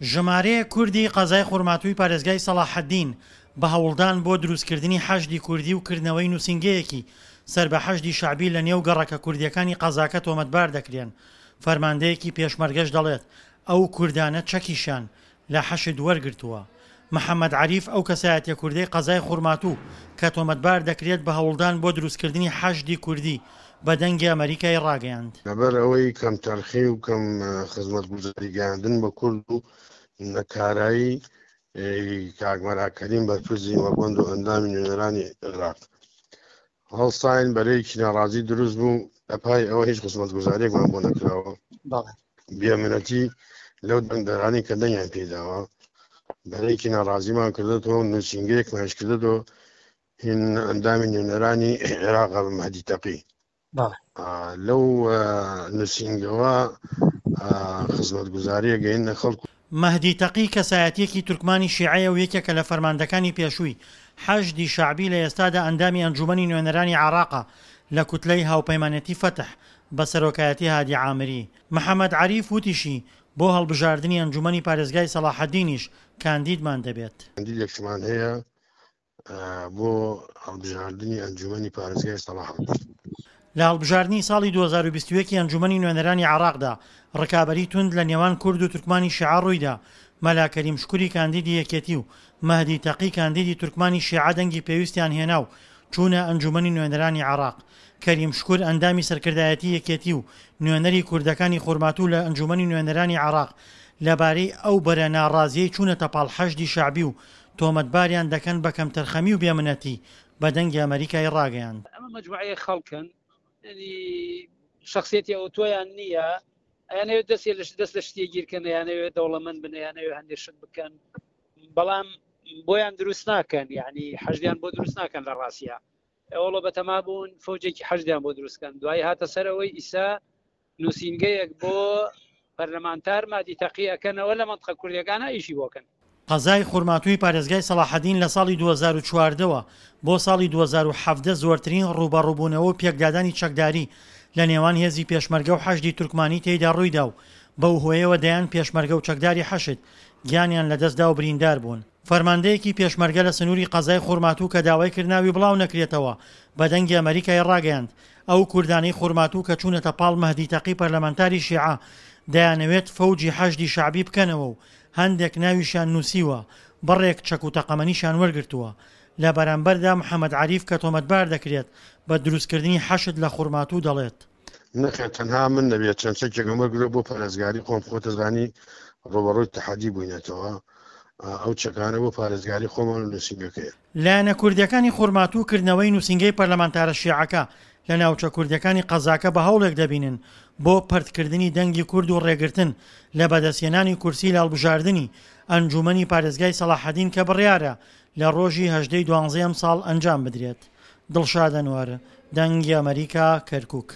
ژمارەیەک کوردی قەزای خورماتووی پارێزگای سەڵاحەدین بە هەوڵدان بۆ دروستکردنی حەشدی کوردی و کردنەوەی نووسینگەیەکی سەر بە حەشدی شەعبی لە نێو گەڕەکە کوردییەکانی قەزاکە تۆمەتبار دەکرێن، فەرماندەیەکی پێشمەرگەش دەڵێت، ئەو کوردانە چەکیشیان لە حەشد وەرگرتووە. محەمەد عەریف ئەو کەسایەتیە کوردەی قەزای خورماتوو کە تۆمەتبار دەکرێت بە هەوڵدان بۆ دروستکردنی حەشدی کوردی بە دەنگی ئەمەریکای ڕاگەیاند. لەبەر ئەوەی کەمتەرخی و کەم خزمەتگوزاری گەیاندن بە کورد و نەکارایی کاک مەلا کەریم بەرپرسی مەڵبەند و ئەندامی نوێنەرانی عێراق هەڵساین بەرەیەکی ناڕازی دروست بوو لەپای ئەوە هیچ خزمەتگوزاریەکمان بۆ نەکراوە بێمنەتی لەو دەنگدەرانی کە دەنگیان پێداوە بەرەیەکی ناڕازیمان کردێتەوە نووسینگەیەکمانش کردێتەوە هین ئەندامی نوێنەرانی عێراق بە مەهدی تەقی لەو نووسینگەوە خزمەتگوزاریە گەینە خەڵک. مەهدی تەقی کەسایەتییەکی تورکمانی شیعەیە و یەکێکە لە فەرماندەکانی پێشووی حەشدی شەعبی لە ئێستادا ئەندامی ئەنجوومەنی نوێنەرانی عێراقە لە کوتلەی هاوپەیمانێتی فەتح بە سەرۆکایەتی هادی عامری. محەمەد عەریف وتیشی، بۆ هەڵبژاردنی ئەنجوومەنی پارێزگای سەڵاحەدینیش کاندیدمان دەبێت. کاندیدێکشمان هەیە بۆ هەڵبژاردنی ئەنجومەنی پارێزگای سەڵاحەدین. لە هەڵبژاردنی ساڵی 2021 ی ئەنجومەنی نوێنەرانی عێراقدا، ڕکابەری توند لە نێوان کورد و تورکمانی شیعە ڕوویدا، مەلا کەریم شکوری کاندیدی یەکێتی و مەهدی تەقی کاندیدی تورکمانی شیعە دەنگی پێویستیان هێنا و چوونە ئەنجومەنی نوێنەرانی عێراق. کەریم شکور ئەندامی سەرکردایەتی یەکێتی و نوێنەری کوردەکانی خورماتوو لە ئەنجومەنی نوێنەرانی عێراق لەبارەی ئەو بەرە ناڕازیەی چوونەتە پاڵ حەشدی شەعبی و تۆمەتباریان دەکەن بە کەمتەرخەمی و بێمنەتی، بە دەنگی ئەمەریکای ڕاگەیاند. ئەمە مەجموعەیەک خەڵکن یعنی شخصیەتی ئەوتۆیان نییە ئەیانەوێت دەستێ لە دەست لە شتێ گیرکەن یانەوێت دەوڵەمەند بن یانەوێت هەندێک شت بکەن بەڵام بۆیان دروست ناکەن یعنی حەشدیان بۆ دروست ناکەن لە ڕاستە ئەوڵە بەتەما بوون فەوجێکی حەشدیان بۆ دروستکەن دوای هاتە سەرەوەی ئیسا نووسینگەیەک بۆ پەرلەمانتار مادی تەقی ئەکەنەوە لە مەنتقە کوردیەکانا ئیشی بۆ کەن. قەزای خورماتووی پارێزگای سەڵاحەدین لە ساڵی 2014 وە بۆ ساڵی 2017 زۆرترین ڕووبەڕووبوونەوە و پێکدادانی چەکداری لە نێوان هێزی پێشمەرگە و حەشدی تورکمانی تێیدا ڕوویدا و بەو هۆیەوە دەیان پێشمەرگە و چەکداری حەشد گیانیان لەدەستدا و بریندار بوون. فەرماندەیەکی پێشمەرگە لە سنووری قەزای خورماتوو کە داوای کرد ناوی بڵاو نەکرێتەوە، بە دەنگی ئەمەریکای ڕاگەیاند، ئەو کوردانەی خورماتوو کە چوونەتە پاڵ مەهدی تەقی پەرلەمانتاری شیعە، دەیانەوێت فەوجی حەشدی شەعبی بکەنەوە و هەندێک ناویشیان نووسیوە، بڕێک چەک و تەقەمەنیشیان وەرگرتووە. لە بەرامبەردا محەمەد عەریف کە تۆمەتبار دەکرێت بە دروستکردنی حەشد لە خورماتوو دەڵێت، نەخێر تەنها من نەبێت چەند چەکێکم وەرگرە بۆ پارێزگاری خۆم خۆت دەزانی ڕوبەڕووی تەحەدی بووینەتەوە ئەو چەکانە بۆ پارێزگاری خۆمان و نووسینگەکەیە. لایەنە کوردییەکانی خورماتوو کردنەوەی نووسینگەی پەرلەمانتارە شیعەکە لە ناوچە کوردییەکانی قەزاکە بە هەوڵێک دەبینن بۆ پەرتکردنی دەنگی کورد و ڕێگرتن لە بەدەستهێنانی کورسی لە هەڵبژاردنی ئەنجوومەنی پارێزگای سەڵاحەدین کە بڕیارە لە ڕۆژی هەژدە ی دوانزەی ئەمساڵ ئەنجام بدرێت. دڵشاد ئەنوەر، دەنگی ئەمەریکا، کەرکوک.